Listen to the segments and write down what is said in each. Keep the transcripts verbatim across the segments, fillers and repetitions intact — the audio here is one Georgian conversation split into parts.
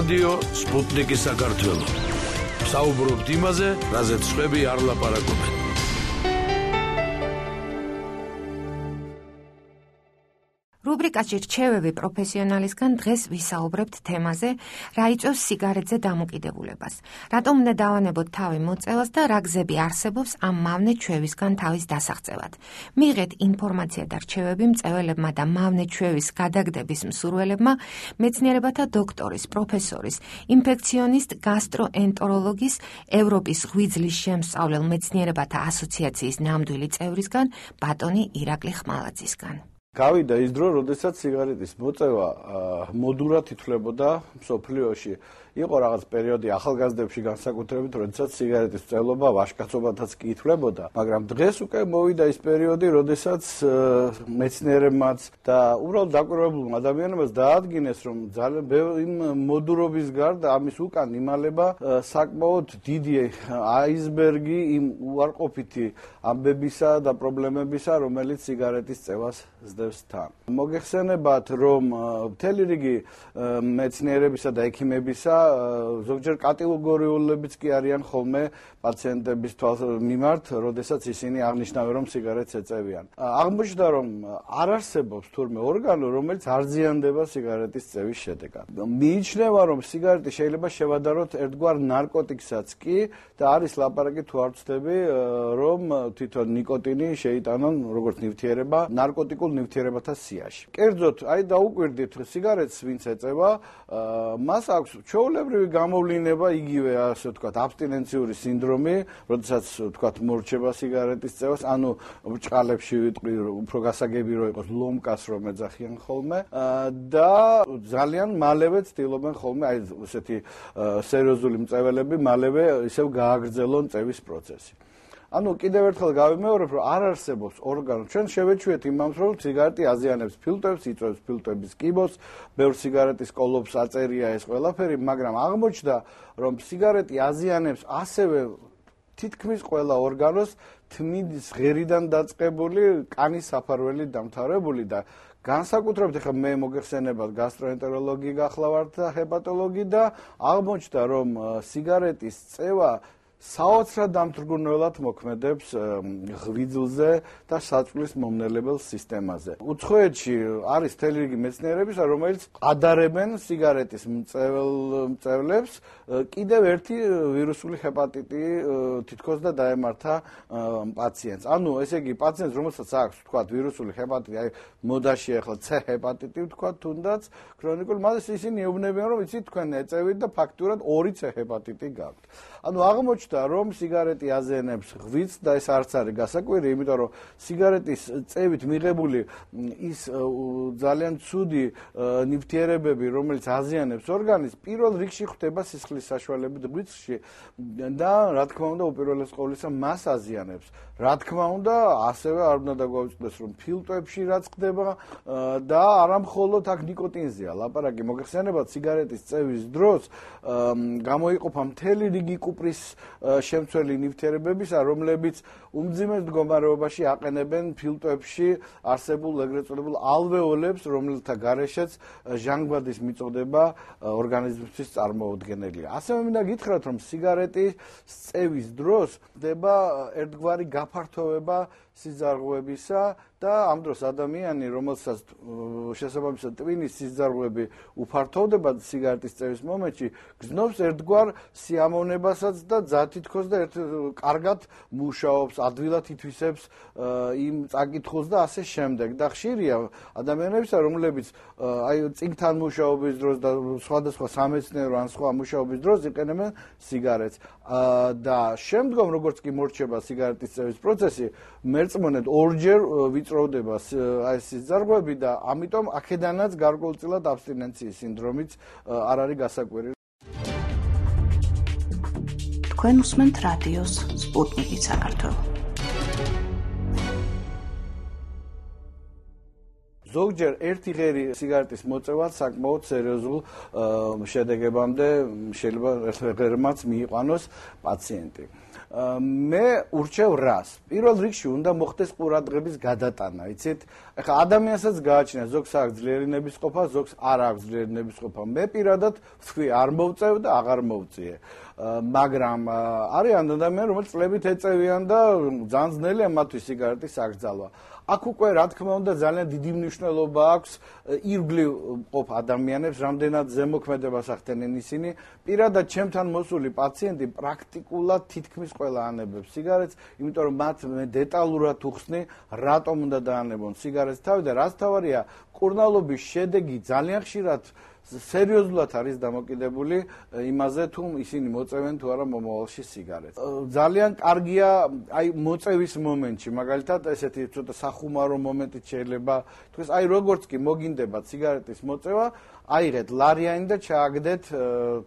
რადიო სპუტნიკი საქართველო. საუბრობთ იმაზე, რაზეც სხვები არ ლაპარაკობენ. რუბრიკაში რჩევები პროფესიონალისგან დღეს ვისაუბრებთ თემაზე, რა იწვევს სიგარეტზე დამოკიდებულებას, რატომ უნდა დავანებოთ თავი მოწევას და რა გზები არსებობს ამ მავნე ჩვევისგან თავის დასაღწევად. მიიღეთ ინფორმაცია და რჩევები მწეველებმა და მავნე ჩვევის გადაგდების მსურველებმა, მეცნიერებათა დოქტორის, პროფესორის, ინფექციონისტ გასტროენტეროლოგის, ევროპის ღვიძლის შემსწავლელ მეცნიერებათა ასოციაციის ნამდვილი წევრისგან, ბატონი ირაკლი ხმალაძისგან. გავიდა ის დრო, როდესაც სიგარეტის მოწევა მოდურად ითვლებოდა მსოფლიოში. იყო რაღაც პერიოდი ახალგაზრდებში განსაკუთრებით, როდესაც სიგარეტის მწევლობა ვაჟკაცობათაც კი ითვლებოდა, მაგრამ დღეს უკვე მოვიდა ის პერიოდი, როდესაც მეცნიერებმაც და უბრალოდ დაკვირვებულმა ადამიანებმაც დაადგინეს, რომ ძალიან იმ მოდურობის გარდა ამის უკან იმალება საკმაოდ დიდი აისბერგი იმ უარყოფითი ამბებისა და პრობლემებისა, რომელიც სიგარეტის წევას ზდევს თან. მოგეხსენებათ, რომ მთელი რიგი მეცნიერებისა და ექიმებისა ზოგჯერ კატეგორიულებიც კი არიან ხოლმე პაციენტების მიმართ, როდესაც ისინი აღნიშნავენ, რომ სიგარეტს ეწევიან. აღმოჩნდა, რომ არ არსებობს თურმე ორგანო, რომელიც არ ზიანდება სიგარეტის წევის შედეგად. მიიჩნევა, რომ სიგარეტი შეიძლება შევადაროთ ერთგვარ ნარკოტიკსაც კი და არის ლაპარაკი თუ არ ვცდები, რომ თვითონ ნიკოტინი შეიტანონ როგორც ნივთიერება ნარკოტიკულ ნივთიერებათა სიაში. კერძოდ, აი დაუკვირდით სიგარეტს ვინც ეწევა, მას აქვს ჩვეულებრივი გამოვლინება, იგივე ასე ვთქვათ, აბსტინენციური სინდრომი, როდესაც ვთქვათ მორჩება სიგარეტის წევას, ანუ ბრჭყალებში ვიტყვი, უფრო გასაგები რო იყოს ლომკას რომ ეძახიან ხოლმე და ძალიან მალევე ცდილობენ ხოლმე აი ესეთი სერიოზული მწეველები მალევე ისევ გააგრძელონ წევის პროცესი. ანუ კიდევ ერთხელ გავიმეორებ, რომ არ არსებობს ორგანო. ჩვენ შევეჩვიეთ იმას, რომ სიგარეტი აზიანებს ფილტვებს, იწვევს ფილტვების კიბოს, ბევრ სიგარეტის კოლოფს აწერია ეს ყველაფერი, მაგრამ აღმოჩნდა, რომ სიგარეტი აზიანებს ასევე თითქმის ყველა ორგანოს თმის ღერიდან დაწყებული, კანის საფარველი დამთავრებული და განსაკუთრებით ახლა მე მოგეხსენებათ გასტროენტეროლოგი გახლავართ და ჰეპატოლოგი და აღმოჩნდა, რომ სიგარეტის წევა საოცრად დამთრგუნველად მოქმედებს ღვიძლზე და საწვლის მომნელებელ სისტემაზე. უცხოეთში არის მთელი რიგი მეცნიერებისა, რომელიც ადარებენ სიგარეტის მწევლებს კიდევ ერთი ვირუსული ჰეპატიტი თითქოს და დაემართა პაციენტს. ანუ ესე იგი პაციენტს, რომელსაც აქვს თქვათ ვირუსული ჰეპატიტი, აი მოდაში ახლა C ჰეპატიტი თქვათ თუნდაც ქრონიკული, მას ისინი ეუბნებიან, რომ იცით თქვენ ეწევით და ფაქტურად ორი C ჰეპატიტი გაქვთ. ანუ აღმოჩნდა, რომ სიგარეტი აზიანებს ღვიძლს და ეს არც არის გასაკვირი, იმიტომ რომ სიგარეტის წევით მიღებული ის ძალიან ცუდი ნივთიერებები, რომელიც აზიანებს ორგანიზმს, პირველ რიგში ხვდება სისხლის საშუალებით ღვიძლში და რა თქმა უნდა, უპირველეს ყოვლისა მას აზიანებს. რა თქმა უნდა, ასევე არ უნდა დაგვაუწყდეს, რომ ფილტვებში რაც ხდება და არა მხოლოდ აქ ნიკოტინზეა ლაპარაკი. მოგეხსენებათ, სიგარეტის წევის დროს გამოიყოფა მთელი რიგი კუპრის შემცველი ნივთიერებებისა, რომლებიც უმძიმეს მდგომარეობაში აყენებენ ფილტვებში არსებულ ეგრეთ წოდებულ ალვეოლებს, რომელთა გარეშეც ჟანგბადის მიწოდება ორგანიზმისთვის წარმოუდგენელია. ასევე მინდა გითხრათ, რომ სიგარეტის წევის დროს ხდება ერთგვარი გაფართოვება სიძარღვევისა და ამ დროს ადამიანი, რომელსაც შესაბამისად ტვინის სიძარღვევები უფართოვდება სიგარეტის წევის მომენტში, გრძნობს ერთგვარ სიამოვნებასაც და თითქოს და ერთ კარგად მუშაობს, ადვილად ითვისებს იმ წაკითხულს და ასე შემდეგ. და ხშირია ადამიანებისა, რომლებიც აი წიგნთან მუშაობის დროს და სხვადასხვა სამეცნიერო ან სხვა მუშაობის დროს იყენებენ სიგარეტს. და შემდგომ, როგორც კი მორჩება სიგარეტის წევის პროცესი, მერწმუნედ ორჯერ ვიწროვდება აი ეს სიძარღვევები და ამიტომ აქედანაც გარკვეულწილად აბსტინენციის სინდრომიც არ არის გასაკვირი. თქვენ უსმენთ რადიოს სპუტნიკი საქართველო. ზოგჯერ ერთი ღერი სიგარეტის მოწევად საკმაოდ სერიოზულ შედეგებამდე შეიძლება ერთ ღერმაც მიიყვანოს პაციენტი. მე ურჩევ რას? პირველ რიგში უნდა მოხდეს ყურადღების გადატანა, იცით? ეხლა ადამიანსაც გააჩნია ზოგს აქვს ძლიერი ნებისყოფა, ზოგს არ აქვს ძლიერი ნებისყოფა. მე პირადად ვთქვი, არ მოვწევ და აღარ მოვწიე. მაგრამ არიან ადამიანები, რომელიც წლებით ეწევიან და ძალიან ძნელია მათთვის სიგარეტის აკრძალვა. აქ უკვე რა თქმა უნდა ძალიან დიდი მნიშვნელობა აქვს ირგვლივ ყოფ ადამიანებს, რამდენად ზემოქმედებას ახდენენ ისინი. პირადად ჩემთან მოსული პაციენტი პრაქტიკულად თითქმის ყველა ანებებს სიგარეტს, იმიტომ რომ მათ მე დეტალურად უხსნი, რატომ უნდა დაანებონ სიგარეტს თავი და რაც თავარია, კურნალობის შედეგი ძალიან ხშირად სერიოზულად არის დამოკიდებული იმაზე, თუ ისინი მოწევენ თუ არა მომავალში სიგარეტს. ძალიან კარგია აი მოწევის მომენტში, მაგალითად ესეთი ცოტა სახუმარო მომენტით შეიძლება თქვენ აი როგორც კი მოგინდებათ სიგარეტის მოწევა, აიღეთ ლარიანი და ჩააგდეთ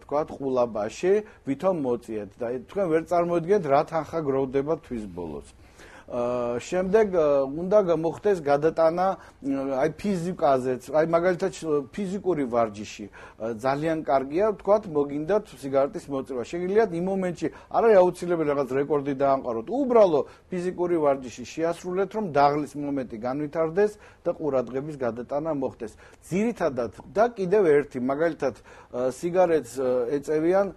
თქვათ ყულაბაში, ვითომ მოწიეთ და თქვენ ვერ წარმოიდგენთ რა თანხა გროვდება თვის ბოლოს. შემდეგ უნდა მოხდეს გადატანა აი ფიზიკაზეც, აი მაგალითად ფიზიკური ვარჯიში ძალიან კარგია, თქვათ მოგინდათ სიგარეტის მოწევა. შეგიძლიათ იმ მომენტში არ არის აუცილებელი რაღაც რეკორდი დაამყაროთ, უბრალო ფიზიკური ვარჯიში შეასრულეთ, რომ დაღლის მომენტი განვითარდეს და ყურადღების გადატანა მოხდეს. ძირითადად და კიდევ ერთი, მაგალითად სიგარეტს ეწევიან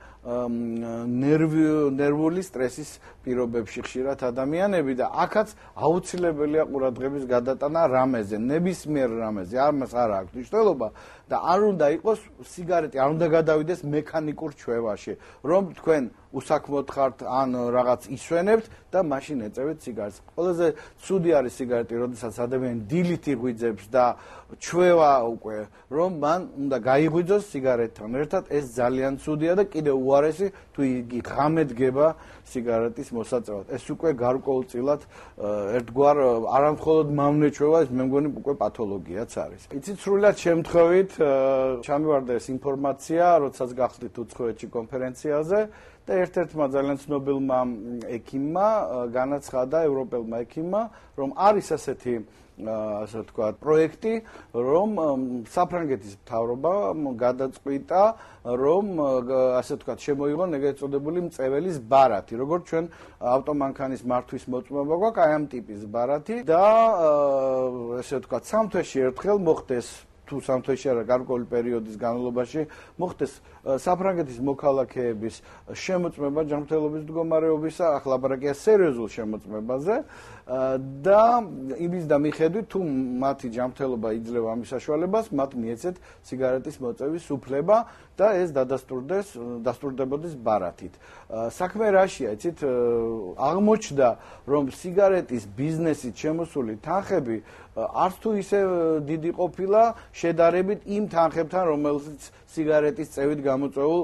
ნერვული სტრესის პირობებში ხშირად ადამიანები და აქაც აუცილებელია ყურადღების გადატანა რამეზე, ნებისმიერ რამეზე, ამას არ აქვს მნიშვნელობა და არ უნდა იყოს სიგარეტი, არ უნდა გადავიდეს მექანიკურ ჩვევაში, რომ თქვენ უსაქმოდ ხართ ან რაღაც ისვენებთ და მაშინ ეწევით სიგარეტს. ყველაზე ცუდი არის სიგარეტი, როდესაც ადამიანი დილით იღვიძებს და ჩვევა უკვე, რომ მან უნდა გაიღვიძოს სიგარეტთან ერთად, ეს ძალიან ცუდია და კიდევ უარესი თუ იგი ღამე დგება სიგარეტის მოსაწევად. ეს უკვე გარკვეულწილად ერთგვარ არამხოლოდ მავნე ჩვევა, ეს მე მგონი უკვე პათოლოგიაც არის. იცით, სრულად შემთხვევით ჩამივარდა ეს ინფორმაცია, როდესაც გახდით უცხოეთში კონფერენციაზე და ერთ-ერთმა ძალიან ცნობილმა ექიმმა განაცხადა, ევროპელმა ექიმმა, რომ არის ასეთი ასე ვთქვათ, პროექტი, რომ საფრანგეთის მთავრობა გადაწყვიტა, რომ ასე ვთქვათ, შემოიღონ ეგრეთ წოდებული მწეველის ბარათი, როგორც ჩვენ ავტომანქანის მართვის მოწმობა გვაქვს, აი ამ ტიპის ბარათი და ასე ვთქვათ, სამ თვეში ერთხელ მოხდეს თუ სამ თვეში არა გარკვეული პერიოდის განმავლობაში მოხდეს საფრანგეთის მოქალაქეების შემოწმება ჯანმრთელობის მდგომარეობისა, ახლა ლაბორატორია სერიოზულ შემოწმებაზე და იმის და მიხედვით თუ მათი ჯანმრთელობა იძლევა ამის საშუალებას, მათ მიეცეთ სიგარეტის მოწევის უფლება და ეს დადასტურდეს, დასტურდებოდეს ბარათით. საქმე რაშია, იცით, აღმოჩნდა, რომ სიგარეტის ბიზნესით შემოსული თანხები არც თუ ისე დიდი ყოფილა შედარებით იმ თანხებთან, რომელსაც სიგარეტის წევით გამოწვეულ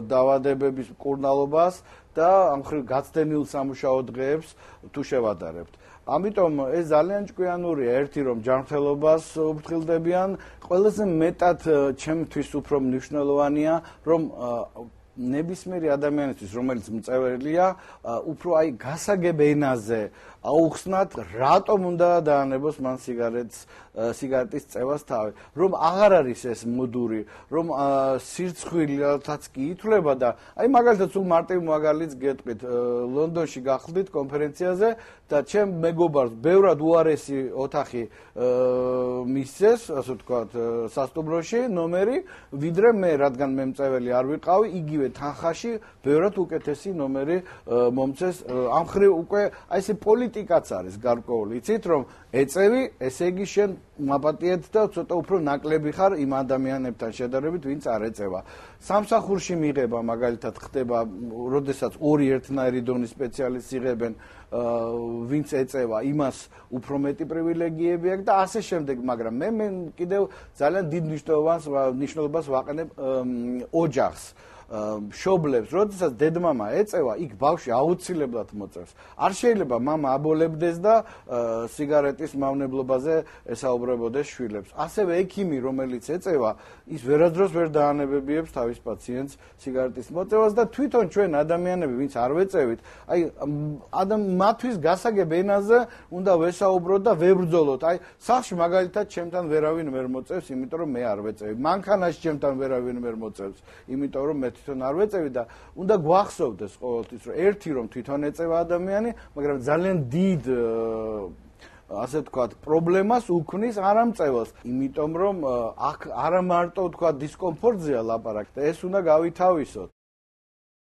დაავადებების მკურნალობას და ამ ხრივ გაცდენილ სამუშაო დღეებს თუ შევადარებთ. ამიტომ ეს ძალიან ჭკვიანურია, ერთი რომ ჯანმრთელობას უფრთხილდებიან, ყველაზე მეტად ჩემთვის უფრო მნიშვნელოვანია, რომ ნებისმიერი ადამიანისთვის, რომელიც მწეველია, უფრო აი გასაგებ ენაზე აუხსნათ, რატომ უნდა დაანებოს მან სიგარეტს, სიგარეტის წევას თავი, რომ აღარ არის ეს მოდური, რომ სირცხვილთაც კი ითვლება და აი მაგალითად სულ მარტივ მაგალითს გეტყვით, ლონდონში გახლდით კონფერენციაზე და ჩემ მეგობარს ბევრად უარესი ოთახი მისცეს, ასე ვთქვათ, სასტუმროში ნომერი, ვიდრე მე, რადგან მე მწეველი არ ვიყავი, იგივე თანხაში ბევრად უკეთესი ნომერი მომცეს. ამ ხრივ უკვე აი ესე პოლიტიკაც არის გარკვეული. იცით, რომ ეწევი, ესე იგი შენ მაპატიეთ და ცოტა უფრო ნაკლები ხარ იმ ადამიანებთან შედარებით, ვინც არ ეწევა. სამსახურში მიღება მაგალითად ხდება, როდესაც ორი ერთნაირი დონის სპეციალისტს იღებენ, ვინც ეწევა, იმას უფრო მეტი პრივილეგიები აქვს და ასე შემდეგ, მაგრამ მე მე კიდევ ძალიან დიდ მნიშვნელობას ვაყენებ ოჯახს. მშობლებს, როდესაც დედმამა ეწევა, იქ ბავშვი აუცილებლად მოწევს. არ შეიძლება მამა აბოლებდეს და სიგარეტის მავნებლობაზე ესაუბრებოდეს შვილებს. ასევე ექიმი, რომელიც ეწევა, ის ვერასდროს ვერ დაანებებიებს თავის პაციენტს სიგარეტის მოწევას და თვითონ ჩვენ ადამიანები, ვინც არ ვეწევით, აი ადამ მათთვის გასაგებ ენაზე უნდა ვესაუბროთ და ვებრძოლოთ. აი სახლში მაგალითად ჩემთან ვერავინ ვერ მოწევს, იმიტომ რომ მე არ ვეწევი. მანქანაში ჩემთან ვერავინ ვერ მოწევს, იმიტომ რომ მე თვითონ არ ვეწევი და უნდა გვახსოვდეს ყოველთვის რომ ერთი რომ თვითონ ეწევა ადამიანი, მაგრამ ძალიან დიდ ასე ვთქვათ, პრობლემას უქმნის არამწევას, იმიტომ რომ აქ არა მარტო ვთქვათ დისკომფორტზეა ლაპარაკი, ეს უნდა გავითავისოთ.